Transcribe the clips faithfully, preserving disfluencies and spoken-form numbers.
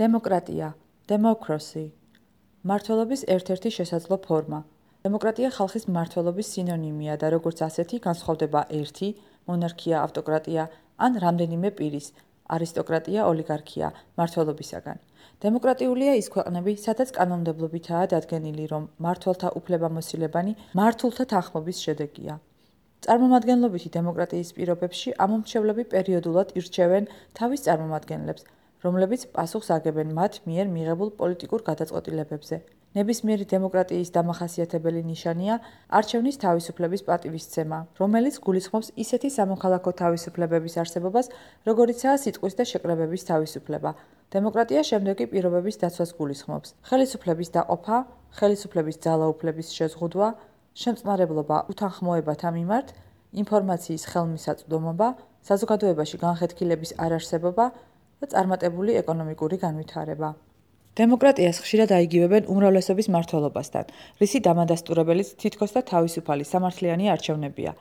დემოკრატია, democracy, მმართველობის ერთ-ერთი შესაძლო ფორმა. დემოკრატია ხალხის მმართველობის სინონიმია და როგორც ასეთი განსხვავდება ერთი, მონარქია, ავტოკრატია ან რამდენიმე პირის, არისტოკრატია, ოლიგარქია, მმართველობისაგან. დემოკრატიულია ის ქვეყნები, სადაც კანონმდებლობითაა დადგენილი, რომ მმართველთა უფლებამოსილებანი მმართველთა თანხმობის შედეგია. წარმომადგენლობითი დემოკრატიის პირობებში ამომრჩევლები პერიოდულად ირჩევენ თავის წარმომადგენლებს, რომლებიც პასუხს აგებენ მათ მიერ მიღებულ პოლიტიკურ გადაწყვეტილებებზე. ნებისმიერი დემოკრატიის დამახასიათებელი ნიშანია არჩევნის თავისუფლების პატივისცემა, რომელიც გულისხმობს ისეთი სამოქალაქო თავისუფლებების არსებობას, როგორიცაა სიტყვის და შეკრებების თავისუფლება. დემოკრატია შემდეგი პირობების დაცვას გულისხმობს: ხელისუფლების დაყოფა, ხელისუფლების ძალაუფლების შეზღუდვა, შემწყნარებლობა უთანხმოებათა მიმართ, ინფორმაციის ხელმისაწვდომობა, საზოგადოებაში განხეთქილების არარსებობა და წარმატებული ეკონომიკური განვითარება. დემოკრატიას ხშირად აიგივებენ უმრავლესობის მმართველობასთან, რისი დამადასტურებელიც თითქოს და თავისუფალი სამართლიანი არჩევნებია.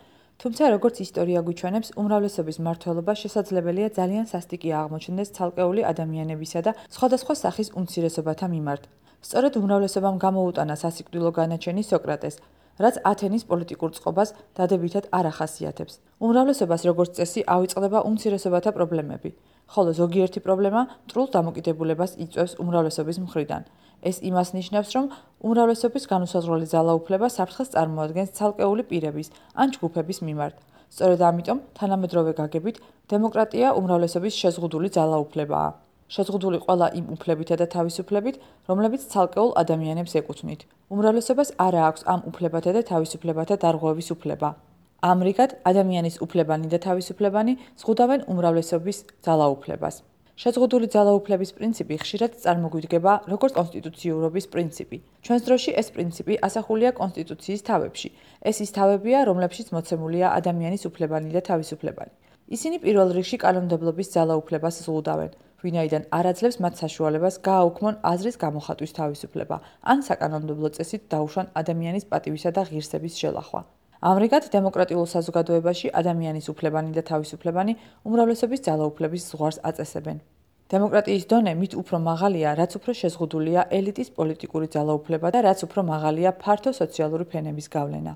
თუმცა, როგორც ისტორია გვიჩვენებს, უმრავლესობის მმართველობა შესაძლებელია ძალიან სასტიკი აღმოჩნდეს ცალკეული ადამიანებისა და სხვადასხვა სახის უმცირესობათა მიმართ. სწორედ უმრავლესობამ გამოუტანა სასიკვდილო განაჩენი სოკრატეს, რაც ათენის პოლიტიკურ წყობას დადებითად არ ახასიათებს. უმრავლესობას როგორც წესი ავიწყდება უმცირესობათა პრობლემები, ხოლო ზოგიერთი პრობლემა მტრულ დამოკიდებულებას იწვევს უმრავლესობის მხრიდან. ეს იმას ნიშნავს, რომ უმრავლესობის განუსაზღვრელი ძალაუფლება საფრთხეს წარმოადგენს ცალკეული პირების ან ჯგუფების მიმართ. სწორედ ამიტომ, თანამედროვე გაგებით, დემოკრატია უმრავლესობის შეზღუდული ძალაუფლებაა. შეზღუდული ყველა იმ უფლებითა და თავისუფლებით, რომლებიც ცალკეულ ადამიანებს ეკუთვნით. უმრავლესობას არა აქვს ამ უფლებათა და თავისუფლებათა დარღვევის უფლება. ამრიგად, ადამიანის უფლებანი და თავისუფლებანი ზღუდავენ უმრავლესობის ძალაუფლებას. შეზღუდული ძალაუფლების პრინციპი ხშირად წარმოგვიდგება როგორც კონსტიტუციურობის პრინციპი. ჩვენს დროში ეს პრინციპი ასახულია კონსტიტუციის თავებში. ეს ის თავებია, რომლებშიც მოცემულია ადამიანის უფლებანი და თავისუფლებანი. ისინი პირველ რიგში კანონმდებლობის ძალაუფლებას ზღუდავენ, ვინაიდან არ აძლევს მათ საშუალებას გააუქმონ აზრის გამოხატვის თავისუფლება, ან საკანონმდებლო წესით დაუშვან ადამიანის პატივისა და ღირსების შელახვა. ამრიგად, დემოკრატიულ საზოგადოებაში ადამიანის უფლებანი და თავისუფლებანი უმრავლესობის ძალაუფლების ზღვარს აწესებენ. დემოკრატიის დონე მით უფრო მაღალია, რაც უფრო შეზღუდულია ელიტის პოლიტიკური ძალაუფლება და რაც უფრო მაღალია ფართო სოციალური ფენების გავლენა.